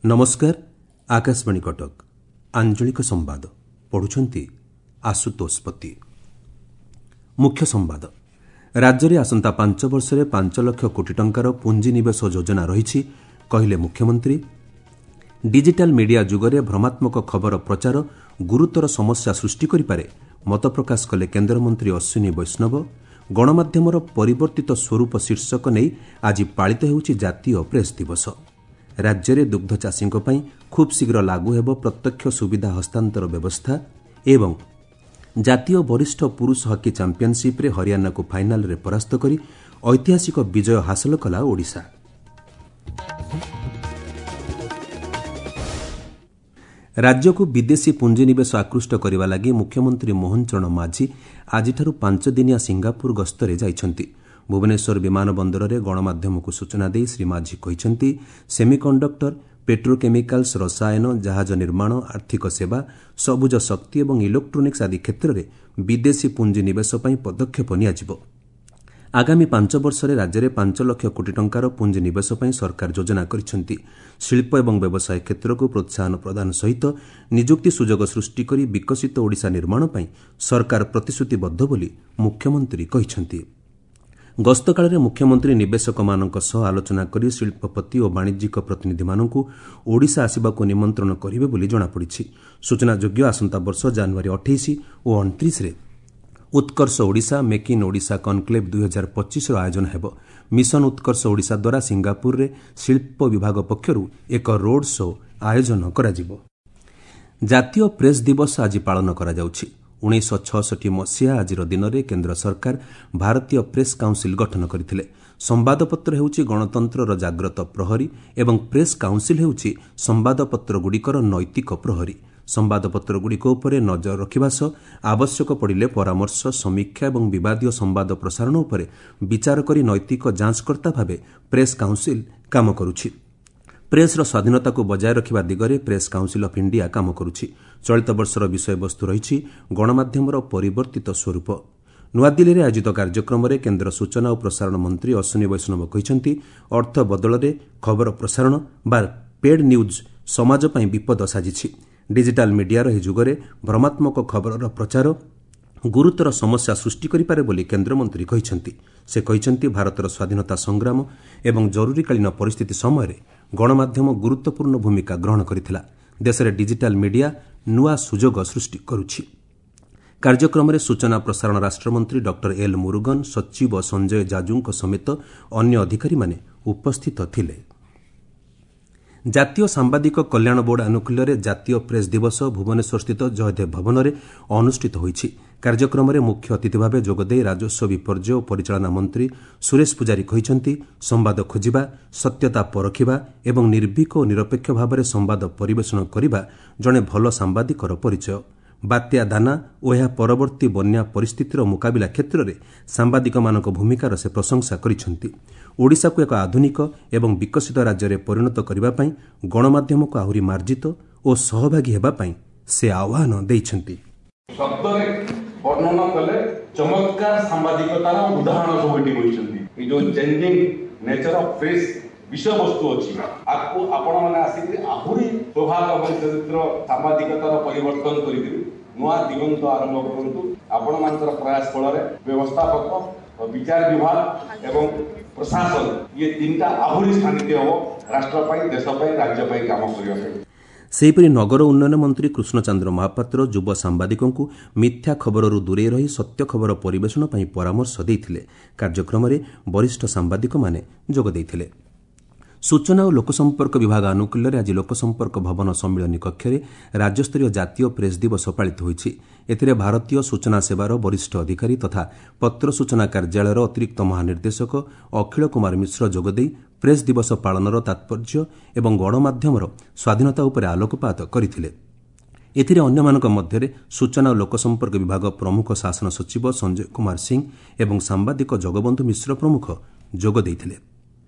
ନମସ୍କାର, ଆକାଶବାଣୀ କଟକ। ଆଞ୍ଚଳିକ ସମ୍ବାଦ ପଢୁଛନ୍ତି ଆଶୁତୋଷ ପତି। ମୁଖ୍ୟ ସମ୍ବାଦ। ରାଜ୍ୟରେ ଆସନ୍ତା 5 ବର୍ଷରେ 5 ଲକ୍ଷ କୋଟି ଟଙ୍କାର ପୁଞ୍ଜିନିବେଶ ଯୋଜନା ରହିଛି, କହିଲେ ମୁଖ୍ୟମନ୍ତ୍ରୀ। ଡିଜିଟାଲ ମିଡିଆ ଯୁଗରେ ଭ୍ରମାତ୍ମକ ଖବର ପ୍ରଚାର ଗୁରୁତର ସମସ୍ୟା ସୃଷ୍ଟି କରିପାରେ, ମତପ୍ରକାଶ କଲେ କେନ୍ଦ୍ରମନ୍ତ୍ରୀ ଅଶ୍ୱିନୀ ବୈଷ୍ଣବ। ଗଣମାଧ୍ୟମର ପରିବର୍ତ୍ତିତ ସ୍ୱରୂପ ଶୀର୍ଷକ ନେଇ ଆଜି ପାଳିତ ହେଉଛି ଜାତୀୟ ପ୍ରେସ୍ ଦିବସ। ରାଜ୍ୟରେ ଦୁଗ୍ଧ ଚାଷୀଙ୍କ ପାଇଁ ଖୁବ୍ ଶୀଘ୍ର ଲାଗୁ ହେବ ପ୍ରତ୍ୟକ୍ଷ ସୁବିଧା ହସ୍ତାନ୍ତର ବ୍ୟବସ୍ଥା। ଏବଂ ଜାତୀୟ ବରିଷ୍ଠ ପୁରୁଷ ହକି ଚାମ୍ପିୟନସିପ୍ରେ ହରିୟାଣାକୁ ଫାଇନାଲରେ ପରାସ୍ତ କରି ଐତିହାସିକ ବିଜୟ ହାସଲ କଲା ଓଡ଼ିଶା। ରାଜ୍ୟକୁ ବିଦେଶୀ ପୁଞ୍ଜିନିବେଶ ଆକୃଷ୍ଟ କରିବା ଲାଗି ମୁଖ୍ୟମନ୍ତ୍ରୀ ମୋହନ ଚରଣ ମାଝୀ ଆଜିଠାରୁ 5 ଦିନିଆ ସିଙ୍ଗାପୁର ଗସ୍ତରେ ଯାଇଛନ୍ତି। ଭୁବନେଶ୍ୱର ବିମାନ ବନ୍ଦରରେ ଗଣମାଧ୍ୟମକୁ ସୂଚନା ଦେଇ ଶ୍ରୀ ମାଝୀ କହିଛନ୍ତି, ସେମିକଣ୍ଡକ୍ଟର, ପେଟ୍ରୋକେମିକାଲ୍ସ, ରସାୟନ, ଜାହାଜ ନିର୍ମାଣ, ଆର୍ଥିକ ସେବା, ସବୁଜ ଶକ୍ତି ଏବଂ ଇଲେକ୍ଟ୍ରୋନିକ୍ସ ଆଦି କ୍ଷେତ୍ରରେ ବିଦେଶୀ ପୁଞ୍ଜିନିବେଶ ପାଇଁ ପଦକ୍ଷେପ ନିଆଯିବ। ଆଗାମୀ 5 ବର୍ଷରେ ରାଜ୍ୟରେ 5 ଲକ୍ଷ କୋଟି ଟଙ୍କାର ପୁଞ୍ଜିନିବେଶ ପାଇଁ ସରକାର ଯୋଜନା କରିଛନ୍ତି। ଶିଳ୍ପ ଏବଂ ବ୍ୟବସାୟ କ୍ଷେତ୍ରକୁ ପ୍ରୋତ୍ସାହନ ପ୍ରଦାନ ସହିତ ନିଯୁକ୍ତି ସୁଯୋଗ ସୃଷ୍ଟି କରି ବିକଶିତ ଓଡ଼ିଶା ନିର୍ମାଣ ପାଇଁ ସରକାର ପ୍ରତିଶ୍ରୁତିବଦ୍ଧ ବୋଲି ମୁଖ୍ୟମନ୍ତ୍ରୀ କହିଛନ୍ତି। ଗସ୍ତକାଳରେ ମୁଖ୍ୟମନ୍ତ୍ରୀ ନିବେଶକମାନଙ୍କ ସହ ଆଲୋଚନା କରି ଶିଳ୍ପପତି ଓ ବାଣିଜ୍ୟିକ ପ୍ରତିନିଧିମାନଙ୍କୁ ଓଡ଼ିଶା ଆସିବାକୁ ନିମନ୍ତ୍ରଣ କରିବେ ବୋଲି ଜଣାପଡ଼ିଛି। ସୂଚନାଯୋଗ୍ୟ, ଆସନ୍ତା ବର୍ଷ ଜାନୁଆରୀ 28 ଓ 29ରେ Utkarsh Odisha make in Odisha conclave 2025ର ଆୟୋଜନ ହେବ। ମିଶନ ଉତ୍କର୍ଷ ଓଡ଼ିଶା ଦ୍ୱାରା ସିଙ୍ଗାପୁରରେ ଶିଳ୍ପ ବିଭାଗ ପକ୍ଷରୁ ଏକ ରୋଡ୍ ଶୋ ଆୟୋଜନ କରାଯିବ। ଜାତୀୟ ପ୍ରେସ୍ ଦିବସ ଆଜି ପାଳନ କରାଯାଉଛି। 1966 ମସିହା ଆଜିର ଦିନରେ କେନ୍ଦ୍ର ସରକାର ଭାରତୀୟ ପ୍ରେସ୍ କାଉନ୍ସିଲ୍ ଗଠନ କରିଥିଲେ। ସମ୍ବାଦପତ୍ର ହେଉଛି ଗଣତନ୍ତ୍ରର ଜାଗ୍ରତ ପ୍ରହରୀ ଏବଂ ପ୍ରେସ୍ କାଉନ୍ସିଲ୍ ହେଉଛି ସମ୍ବାଦପତ୍ରଗୁଡ଼ିକର ନୈତିକ ପ୍ରହରୀ। ସମ୍ବାଦପତ୍ରଗୁଡ଼ିକ ଉପରେ ନଜର ରଖିବା ସହ ଆବଶ୍ୟକ ପଡ଼ିଲେ ପରାମର୍ଶ, ସମୀକ୍ଷା ଏବଂ ବିବାଦୀୟ ସମ୍ବାଦ ପ୍ରସାରଣ ଉପରେ ବିଚାର କରି ନୈତିକ ଯାଞ୍ଚକର୍ତ୍ତା ଭାବେ ପ୍ରେସ୍ କାଉନ୍ସିଲ୍ କାମ କରୁଛି। ପ୍ରେସ୍ର ସ୍ୱାଧୀନତାକୁ ବଜାୟ ରଖିବା ଦିଗରେ ପ୍ରେସ୍ କାଉନ୍ସିଲ୍ ଅଫ୍ ଇଣ୍ଡିଆ କାମ କରୁଛି। ଚଳିତ ବର୍ଷର ବିଷୟବସ୍ତୁ ରହିଛି ଗଣମାଧ୍ୟମର ପରିବର୍ତ୍ତିତ ସ୍ୱରୂପ। ନୂଆଦିଲ୍ଲୀରେ ଆୟୋଜିତ କାର୍ଯ୍ୟକ୍ରମରେ କେନ୍ଦ୍ର ସୂଚନା ଓ ପ୍ରସାରଣ ମନ୍ତ୍ରୀ ଅଶ୍ୱିନୀ ବୈଷ୍ଣବ କହିଛନ୍ତି, ଅର୍ଥ ବଦଳରେ ଖବର ପ୍ରସାରଣ ବା ପେଡ୍ ନ୍ୟୁଜ୍ ସମାଜ ପାଇଁ ବିପଦ ସାଜିଛି। ଡିଜିଟାଲ ମିଡିଆର ଏହି ଯୁଗରେ ଭ୍ରମାତ୍ମକ ଖବରର ପ୍ରଚାର ଗୁରୁତର ସମସ୍ୟା ସୃଷ୍ଟି କରିପାରେ ବୋଲି କେନ୍ଦ୍ରମନ୍ତ୍ରୀ କହିଛନ୍ତି। ସେ କହିଛନ୍ତି, ଭାରତର ସ୍ୱାଧୀନତା ସଂଗ୍ରାମ ଏବଂ ଜରୁରୀକାଳୀନ ପରିସ୍ଥିତି ସମୟରେ ଗଣମାଧ୍ୟମ ଗୁରୁତ୍ୱପୂର୍ଣ୍ଣ ଭୂମିକା ଗ୍ରହଣ କରିଥିଲା। ଦେଶରେ ଡିଜିଟାଲ ମିଡିଆ ନୂଆ ସୁଯୋଗ ସୃଷ୍ଟି କରୁଛି। କାର୍ଯ୍ୟକ୍ରମରେ ସୂଚନା ପ୍ରସାରଣ ରାଷ୍ଟ୍ରମନ୍ତ୍ରୀ ଡକ୍ଟର ଏଲ୍ ମୁରୁଗନ, ସଚିବ ସଞ୍ଜୟ ଜାଜୁଙ୍କ ସମେତ ଅନ୍ୟ ଅଧିକାରୀମାନେ ଉପସ୍ଥିତ ଥିଲେ। ଜାତୀୟ ସାମ୍ବାଦିକ କଲ୍ୟାଣ ବୋର୍ଡ ଆନୁକୂଲ୍ୟରେ ଜାତୀୟ ପ୍ରେସ୍ ଦିବସ ଭୁବନେଶ୍ୱରସ୍ଥିତ ଜୟଦେବ ଭବନରେ ଅନୁଷ୍ଠିତ ହୋଇଛି। କାର୍ଯ୍ୟକ୍ରମରେ ମୁଖ୍ୟ ଅତିଥି ଭାବେ ଯୋଗଦେଇ ରାଜସ୍ୱ ବିପର୍ଯ୍ୟୟ ଓ ପରିଚାଳନା ମନ୍ତ୍ରୀ ସୁରେଶ ପୂଜାରୀ କହିଛନ୍ତି, ସମ୍ବାଦ ଖୋଜିବା, ସତ୍ୟତା ପରଖିବା ଏବଂ ନିର୍ଭୀକ ଓ ନିରପେକ୍ଷ ଭାବରେ ସମ୍ବାଦ ପରିବେଷଣ କରିବା ଜଣେ ଭଲ ସାମ୍ବାଦିକର ପରିଚୟ। ବାତ୍ୟା ଦାନା ଓ ଏହା ପରବର୍ତ୍ତୀ ବନ୍ୟା ପରିସ୍ଥିତିର ମୁକାବିଲା କ୍ଷେତ୍ରରେ ସାମ୍ବାଦିକମାନଙ୍କ ଭୂମିକାର ସେ ପ୍ରଶଂସା କରିଛନ୍ତି। ଓଡ଼ିଶାକୁ ଏକ ଆଧୁନିକ ଏବଂ ବିକଶିତ ରାଜ୍ୟରେ ପରିଣତ କରିବା ପାଇଁ ଗଣମାଧ୍ୟମକୁ ଆହୁରି ମାର୍ଜିତ ଓ ସହଭାଗୀ ହେବା ପାଇଁ ସେ ଆହ୍ୱାନ ଦେଇଛନ୍ତି। ଶବ୍ଦରେ ବର୍ଣ୍ଣନା କଲେ ଚମତ୍କାର ସାମ୍ବାଦିକତାର ଉଦାହରଣ ସବୁ ଏଠି କହିଛନ୍ତି। ଏଇ ଯୋଉ ଚେଞ୍ଜିଂ ନେଚର ଅଫ୍ ପ୍ରେସ୍ ବିଷୟବସ୍ତୁ ଅଛି, ଆକୁ ଆପଣମାନେ ଆସିକି ଆହୁରି ପ୍ରଭାବ ଏବଂ ଚରିତ୍ର ସାମ୍ବାଦିକତାର ପରିବର୍ତ୍ତନ କରିକିରି ନୂଆ ଦିଗନ୍ତ ଆରମ୍ଭ କରନ୍ତୁ। ଆପଣମାନଙ୍କର ପ୍ରୟାସ ଫଳରେ ବ୍ୟବସ୍ଥାପକ, ବିଚାର ବିଭାଗ ଏବଂ ପ୍ରଶାସନ ଇଏ ତିନିଟା ଆହୁରି ସ୍ଥାନିତ ହେବ ରାଷ୍ଟ୍ର ପାଇଁ, ଦେଶ ପାଇଁ, ରାଜ୍ୟ ପାଇଁ କାମ କରିବା ପାଇଁ। ସେହିପରି ନଗର ଉନ୍ନୟନ ମନ୍ତ୍ରୀ କୃଷ୍ଣଚନ୍ଦ୍ର ମହାପାତ୍ର ଯୁବ ସାମ୍ବାଦିକଙ୍କୁ ମିଥ୍ୟା ଖବରରୁ ଦୂରେଇ ରହି ସତ୍ୟ ଖବର ପରିବେଷଣ ପାଇଁ ପରାମର୍ଶ ଦେଇଥିଲେ। କାର୍ଯ୍ୟକ୍ରମରେ ବରିଷ୍ଠ ସାମ୍ବାଦିକମାନେ ଯୋଗ ଦେଇଥିଲେ। ସୂଚନା ଓ ଲୋକସମ୍ପର୍କ ବିଭାଗ ଆନୁକୂଲ୍ୟରେ ଆଜି ଲୋକସମ୍ପର୍କ ଭବନ ସମ୍ମିଳନୀ କକ୍ଷରେ ରାଜ୍ୟସ୍ତରୀୟ ଜାତୀୟ ପ୍ରେସ୍ ଦିବସ ପାଳିତ ହୋଇଛି। ଏଥିରେ ଭାରତୀୟ ସୂଚନା ସେବାର ବରିଷ୍ଠ ଅଧିକାରୀ ତଥା ପତ୍ର ସୂଚନା କାର୍ଯ୍ୟାଳୟର ଅତିରିକ୍ତ ମହାନିର୍ଦ୍ଦେଶକ ଅଖିଳ କୁମାର ମିଶ୍ର ଯୋଗଦେଇ ପ୍ରେସ୍ ଦିବସ ପାଳନର ତାତ୍ପର୍ଯ୍ୟ ଏବଂ ଗଣମାଧ୍ୟମର ସ୍ୱାଧୀନତା ଉପରେ ଆଲୋକପାତ କରିଥିଲେ। ଏଥିରେ ଅନ୍ୟମାନଙ୍କ ମଧ୍ୟରେ ସୂଚନା ଓ ଲୋକସମ୍ପର୍କ ବିଭାଗ ପ୍ରମୁଖ ଶାସନ ସଚିବ ସଞ୍ଜୟ କୁମାର ସିଂ ଏବଂ ସାମ୍ବାଦିକ ଜଗବନ୍ଧୁ ମିଶ୍ର ପ୍ରମୁଖ ଯୋଗ ଦେଇଥିଲେ।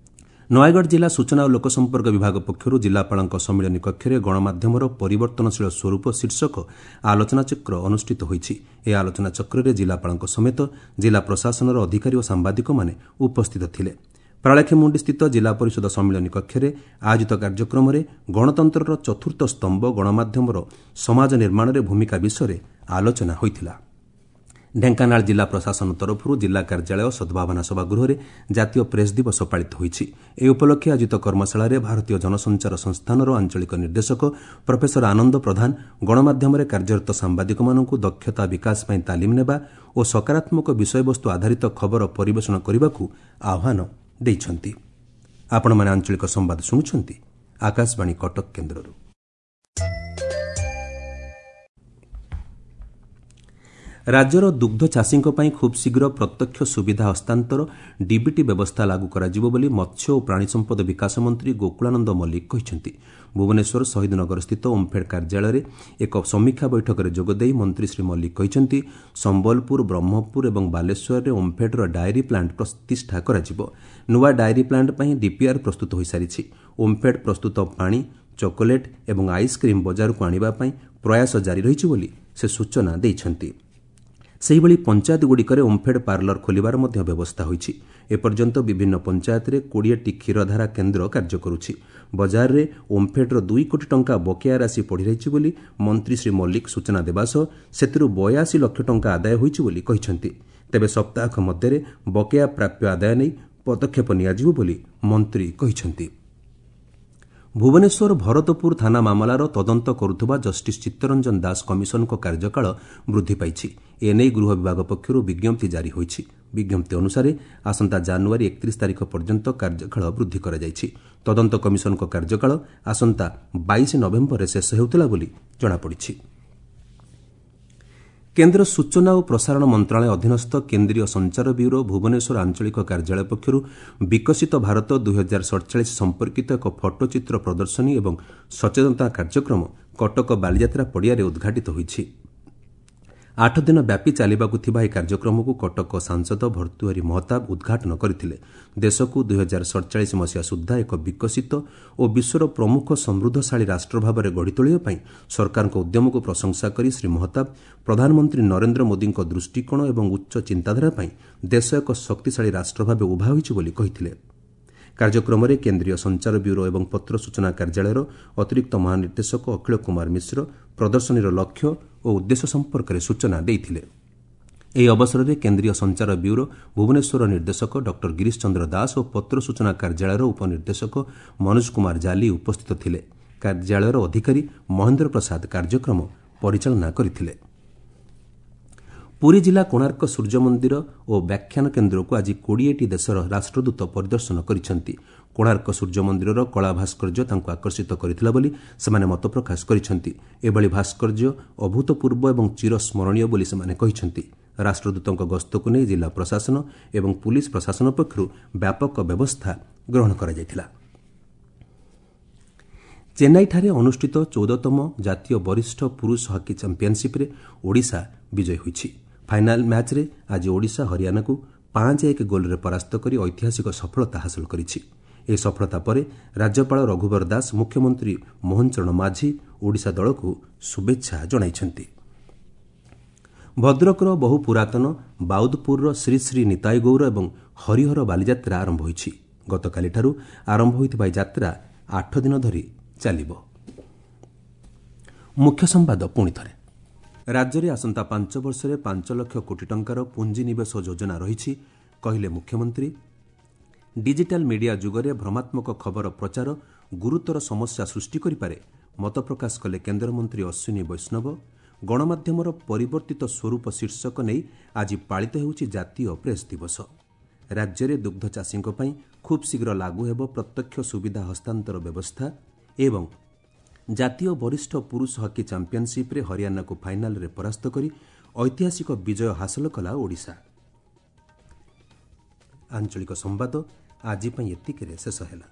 ନୟାଗଡ଼ ଜିଲ୍ଲା ସୂଚନା ଓ ଲୋକସମ୍ପର୍କ ବିଭାଗ ପକ୍ଷରୁ ଜିଲ୍ଲାପାଳଙ୍କ ସମ୍ମିଳନୀ କକ୍ଷରେ ଗଣମାଧ୍ୟମର ପରିବର୍ତ୍ତନଶୀଳ ସ୍ୱରୂପ ଶୀର୍ଷକ ଆଲୋଚନାଚକ୍ର ଅନୁଷ୍ଠିତ ହୋଇଛି। ଏହି ଆଲୋଚନାଚକ୍ରରେ ଜିଲ୍ଲାପାଳଙ୍କ ସମେତ ଜିଲ୍ଲା ପ୍ରଶାସନର ଅଧିକାରୀ ଓ ସାମ୍ବାଦିକମାନେ ଉପସ୍ଥିତ ଥିଲେ। ପାରଳାଖେମୁଣ୍ଡିସ୍ଥିତ ଜିଲ୍ଲା ପରିଷଦ ସମ୍ମିଳନୀ କକ୍ଷରେ ଆୟୋଜିତ କାର୍ଯ୍ୟକ୍ରମରେ ଗଣତନ୍ତ୍ରର ଚତୁର୍ଥ ସ୍ତମ୍ଭ ଗଣମାଧ୍ୟମର ସମାଜ ନିର୍ମାଣରେ ଭୂମିକା ବିଷୟରେ ଆଲୋଚନା ହୋଇଥିଲା। ଢେଙ୍କାନାଳ ଜିଲ୍ଲା ପ୍ରଶାସନ ତରଫରୁ ଜିଲ୍ଲା କାର୍ଯ୍ୟାଳୟ ସଦ୍ଭାବନା ସଭାଗୃହରେ ଜାତୀୟ ପ୍ରେସ୍ ଦିବସ ପାଳିତ ହୋଇଛି। ଏହି ଉପଲକ୍ଷେ ଆୟୋଜିତ କର୍ମଶାଳାରେ ଭାରତୀୟ ଜନସଞ୍ଚାର ସଂସ୍ଥାନର ଆଞ୍ଚଳିକ ନିର୍ଦ୍ଦେଶକ ପ୍ରଫେସର ଆନନ୍ଦ ପ୍ରଧାନ ଗଣମାଧ୍ୟମରେ କାର୍ଯ୍ୟରତ ସାମ୍ବାଦିକମାନଙ୍କୁ ଦକ୍ଷତା ବିକାଶ ପାଇଁ ତାଲିମ ନେବା ଓ ସକାରାତ୍ମକ ବିଷୟବସ୍ତୁ ଆଧାରିତ ଖବର ପରିବେଷଣ କରିବାକୁ ଆହ୍ୱାନ ଦେଇଛନ୍ତି। ଆପଣମାନେ ଆଞ୍ଚଳିକ ସମ୍ବାଦ ଶୁଣୁଛନ୍ତି ଆକାଶବାଣୀ କଟକ କେନ୍ଦ୍ରରୁ। ରାଜ୍ୟର ଦୁଗ୍ଧ ଚାଷୀଙ୍କ ପାଇଁ ଖୁବ୍ ଶୀଘ୍ର ପ୍ରତ୍ୟକ୍ଷ ସୁବିଧା ହସ୍ତାନ୍ତର ଡିବିଟି ବ୍ୟବସ୍ଥା ଲାଗୁ କରାଯିବ ବୋଲି ମତ୍ସ୍ୟ ଓ ପ୍ରାଣୀ ସମ୍ପଦ ବିକାଶ ମନ୍ତ୍ରୀ ଗୋକୁଳାନନ୍ଦ ମଲ୍ଲିକ କହିଛନ୍ତି। ଭୁବନେଶ୍ୱର ଶହୀଦନଗରସ୍ଥିତ ଓମ୍ଫେଡ୍ କାର୍ଯ୍ୟାଳୟରେ ଏକ ସମୀକ୍ଷା ବୈଠକରେ ଯୋଗଦେଇ ମନ୍ତ୍ରୀ ଶ୍ରୀ ମଲ୍ଲିକ କହିଛନ୍ତି, ସମ୍ବଲପୁର, ବ୍ରହ୍ମପୁର ଏବଂ ବାଲେଶ୍ୱରରେ ଓମ୍ଫେଡ୍ର ଡାଏରୀ ପ୍ଲାଣ୍ଟ ପ୍ରତିଷ୍ଠା କରାଯିବ। ନୂଆ ଡାଏରୀ ପ୍ଲାଣ୍ଟ ପାଇଁ ଡିପିଆର୍ ପ୍ରସ୍ତୁତ ହୋଇସାରିଛି। ଓମ୍ଫେଡ୍ ପ୍ରସ୍ତୁତ ପାଣି, ଚକୋଲେଟ୍ ଏବଂ ଆଇସ୍କ୍ରିମ୍ ବଜାରକୁ ଆଣିବା ପାଇଁ ପ୍ରୟାସ ଜାରି ରହିଛି ବୋଲି ସେ ସୂଚନା ଦେଇଛନ୍ତି। ସେହିଭଳି ପଞ୍ଚାୟତଗୁଡ଼ିକରେ ଓମ୍ଫେଡ୍ ପାର୍ଲର ଖୋଲିବାର ମଧ୍ୟ ବ୍ୟବସ୍ଥା ହୋଇଛି। ଏପର୍ଯ୍ୟନ୍ତ ବିଭିନ୍ନ ପଞ୍ଚାୟତରେ 20ଟି କ୍ଷୀରଧାରା କେନ୍ଦ୍ର କାର୍ଯ୍ୟ କରୁଛି। ବଜାରରେ ଓମ୍ଫେଡ୍ର 2 କୋଟି ଟଙ୍କା ବକେୟା ରାଶି ପଡ଼ିରହିଛି ବୋଲି ମନ୍ତ୍ରୀ ଶ୍ରୀ ମଲ୍ଲିକ ସୂଚନା ଦେବା ସହ ସେଥିରୁ 82 ଲକ୍ଷ ଟଙ୍କା ଆଦାୟ ହୋଇଛି ବୋଲି କହିଛନ୍ତି। ତେବେ ସପ୍ତାହକ ମଧ୍ୟରେ ବକେୟା ପ୍ରାପ୍ୟ ଆଦାୟ ନେଇ ପଦକ୍ଷେପ ନିଆଯିବ ବୋଲି ମନ୍ତ୍ରୀ କହିଛନ୍ତି। ଭୁବନେଶ୍ୱର ଭରତପୁର ଥାନା ମାମଲାର ତଦନ୍ତ କରୁଥିବା ଜଷ୍ଟିସ୍ ଚିତ୍ତରଞ୍ଜନ ଦାସ କମିଶନଙ୍କ କାର୍ଯ୍ୟକାଳ ବୃଦ୍ଧି ପାଇଛି। ଏନେଇ ଗୃହ ବିଭାଗ ପକ୍ଷରୁ ବିଜ୍ଞପ୍ତି ଜାରି ହୋଇଛି। ବିଜ୍ଞପ୍ତି ଅନୁସାରେ ଆସନ୍ତା ଜାନୁଆରୀ 31 ତାରିଖ ପର୍ଯ୍ୟନ୍ତ କାର୍ଯ୍ୟକାଳ ବୃଦ୍ଧି କରାଯାଇଛି। ତଦନ୍ତ କମିଶନଙ୍କ କାର୍ଯ୍ୟକାଳ ଆସନ୍ତା 22 ନଭେମ୍ବରରେ ଶେଷ ହେଉଥିଲା ବୋଲି ଜଣାପଡ଼ିଛି। କେନ୍ଦ୍ର ସୂଚନା ଓ ପ୍ରସାରଣ ମନ୍ତ୍ରଣାଳୟ ଅଧୀନସ୍ଥ କେନ୍ଦ୍ରୀୟ ସଞ୍ଚାର ବ୍ୟୁରୋ ଭୁବନେଶ୍ୱର ଆଞ୍ଚଳିକ କାର୍ଯ୍ୟାଳୟ ପକ୍ଷରୁ ବିକଶିତ ଭାରତ 2047 ସମ୍ପର୍କିତ ଏକ ଫଟୋଚିତ୍ର ପ୍ରଦର୍ଶନୀ ଏବଂ ସଚେତନତା କାର୍ଯ୍ୟକ୍ରମ କଟକ ବାଲିଯାତ୍ରା ପଡ଼ିଆରେ ଉଦ୍ଘାଟିତ ହୋଇଛି। 8 ଦିନ ବ୍ୟାପୀ ଚାଲିବାକୁ ଥିବା ଏହି କାର୍ଯ୍ୟକ୍ରମକୁ କଟକ ସାଂସଦ ଭର୍ତ୍ତୃହରି ମହତାବ ଉଦ୍ଘାଟନ କରିଥିଲେ। ଦେଶକୁ 2047 ମସିହା ସୁଦ୍ଧା ଏକ ବିକଶିତ ଓ ବିଶ୍ୱର ପ୍ରମୁଖ ସମୃଦ୍ଧଶାଳୀ ରାଷ୍ଟ୍ର ଭାବରେ ଗଢ଼ି ତୋଳିବା ପାଇଁ ସରକାରଙ୍କ ଉଦ୍ୟମକୁ ପ୍ରଶଂସା କରି ଶ୍ରୀ ମହତାବ ପ୍ରଧାନମନ୍ତ୍ରୀ ନରେନ୍ଦ୍ର ମୋଦିଙ୍କ ଦୃଷ୍ଟିକୋଣ ଏବଂ ଉଚ୍ଚ ଚିନ୍ତାଧାରା ପାଇଁ ଦେଶ ଏକ ଶକ୍ତିଶାଳୀ ରାଷ୍ଟ୍ର ଭାବେ ଉଭା ହୋଇଛି ବୋଲି କହିଥିଲେ। କାର୍ଯ୍ୟକ୍ରମରେ କେନ୍ଦ୍ରୀୟ ସଞ୍ଚାର ବ୍ୟୁରୋ ଏବଂ ପତ୍ର ସୂଚନା କାର୍ଯ୍ୟାଳୟର ଅତିରିକ୍ତ ମହାନିର୍ଦ୍ଦେଶକ ଅଖିଳ କୁମାର ମିଶ୍ର ପ୍ରଦର୍ଶନୀର ଲକ୍ଷ୍ୟ ଓ ଉଦ୍ଦେଶ୍ୟ ସମ୍ପର୍କରେ ସୂଚନା ଦେଇଥିଲେ। ଏହି ଅବସରରେ କେନ୍ଦ୍ରୀୟ ସଞ୍ଚାର ବ୍ୟୁରୋ ଭୁବନେଶ୍ୱରର ନିର୍ଦ୍ଦେଶକ ଡକ୍ଟର ଗିରୀଶ ଚନ୍ଦ୍ର ଦାସ ଓ ପତ୍ର ସୂଚନା କାର୍ଯ୍ୟାଳୟର ଉପନିର୍ଦ୍ଦେଶକ ମନୋଜ କୁମାର ଜାଲି ଉପସ୍ଥିତ ଥିଲେ। କାର୍ଯ୍ୟାଳୟର ଅଧିକାରୀ ମହେନ୍ଦ୍ର ପ୍ରସାଦ କାର୍ଯ୍ୟକ୍ରମ ପରିଚାଳନା କରିଥିଲେ। ପୁରୀ ଜିଲ୍ଲା କୋଣାର୍କ ସୂର୍ଯ୍ୟମନ୍ଦିର ଓ ବ୍ୟାଖ୍ୟାନ କେନ୍ଦ୍ରକୁ ଆଜି 20ଟି ଦେଶର ରାଷ୍ଟ୍ରଦୂତ ପରିଦର୍ଶନ କରିଛନ୍ତି। କୋଣାର୍କ ସୂର୍ଯ୍ୟମନ୍ଦିରର କଳା ଭାସ୍କର୍ଯ୍ୟ ତାଙ୍କୁ ଆକର୍ଷିତ କରିଥିଲା ବୋଲି ସେମାନେ ମତପ୍ରକାଶ କରିଛନ୍ତି। ଏଭଳି ଭାସ୍କର୍ଯ୍ୟ ଅଭୂତପୂର୍ବ ଏବଂ ଚିରସ୍ମରଣୀୟ ବୋଲି ସେମାନେ କହିଛନ୍ତି। ରାଷ୍ଟ୍ରଦୂତଙ୍କ ଗସ୍ତକୁ ନେଇ ଜିଲ୍ଲା ପ୍ରଶାସନ ଏବଂ ପୁଲିସ୍ ପ୍ରଶାସନ ପକ୍ଷରୁ ବ୍ୟାପକ ବ୍ୟବସ୍ଥା ଗ୍ରହଣ କରାଯାଇଥିଲା। ଚେନ୍ନାଇଠାରେ ଅନୁଷ୍ଠିତ 14ତମ ଜାତୀୟ ବରିଷ୍ଠ ପୁରୁଷ ହକି ଚାମ୍ପିୟନସିପ୍ରେ ଓଡ଼ିଶା ବିଜୟୀ ହୋଇଛି। ଫାଇନାଲ୍ ମ୍ୟାଚ୍ରେ ଆଜି ଓଡ଼ିଶା ହରିୟାଣାକୁ 5-1 ଗୋଲ୍ରେ ପରାସ୍ତ କରି ଐତିହାସିକ ସଫଳତା ହାସଲ କରିଛି। ଏହି ସଫଳତା ପରେ ରାଜ୍ୟପାଳ ରଘୁବର ଦାସ, ମୁଖ୍ୟମନ୍ତ୍ରୀ ମୋହନ ଚରଣ ମାଝୀ ଓଡ଼ିଶା ଦଳକୁ ଶୁଭେଚ୍ଛା ଜଣାଇଛନ୍ତି। ଭଦ୍ରକର ବହୁ ପୁରାତନ ବାଉଦପୁରର ଶ୍ରୀ ଶ୍ରୀ ନିତାଇ ଗୌର ଏବଂ ହରିହର ବାଲିଯାତ୍ରା ଆରମ୍ଭ ହୋଇଛି। ଗତକାଲିଠାରୁ ଆରମ୍ଭ ହୋଇଥିବା ଏହି ଯାତ୍ରା 8 ଦିନ ଧରି ଚାଲିବ। ମୁଖ୍ୟ ସମ୍ବାଦ ପୁଣି ଥରେ। ରାଜ୍ୟରେ ଆସନ୍ତା 5 ବର୍ଷରେ 5 ଲକ୍ଷ କୋଟି ଟଙ୍କାର ପୁଞ୍ଜିନିବେଶ ଯୋଜନା ରହିଛି, କହିଲେ ମୁଖ୍ୟମନ୍ତ୍ରୀ। ଡିଜିଟାଲ ମିଡିଆ ଯୁଗରେ ଭ୍ରମାତ୍ମକ ଖବର ପ୍ରଚାର ଗୁରୁତର ସମସ୍ୟା ସୃଷ୍ଟି କରିପାରେ, ମତପ୍ରକାଶ କଲେ କେନ୍ଦ୍ରମନ୍ତ୍ରୀ ଅଶ୍ୱିନୀ ବୈଷ୍ଣବ। ଗଣମାଧ୍ୟମର ପରିବର୍ତ୍ତିତ ସ୍ୱରୂପ ଶୀର୍ଷକ ନେଇ ଆଜି ପାଳିତ ହେଉଛି ଜାତୀୟ ପ୍ରେସ୍ ଦିବସ। ରାଜ୍ୟରେ ଦୁଗ୍ଧ ଚାଷୀଙ୍କ ପାଇଁ ଖୁବ୍ ଶୀଘ୍ର ଲାଗୁ ହେବ ପ୍ରତ୍ୟକ୍ଷ ସୁବିଧା ହସ୍ତାନ୍ତର ବ୍ୟବସ୍ଥା ଏବଂ ଜାତୀୟ ବରିଷ୍ଠ ପୁରୁଷ ହକି ଚାମ୍ପିୟନସିପ୍ରେ ହରିୟାଣାକୁ ଫାଇନାଲରେ ପରାସ୍ତ କରି ଐତିହାସିକ ବିଜୟ ହାସଲ କଲା ଓଡ଼ିଶା। ଆଞ୍ଚଳିକ ସମ୍ବାଦ ଆଜି ପାଇଁ ଏତିକିରେ ଶେଷ ହେଲା।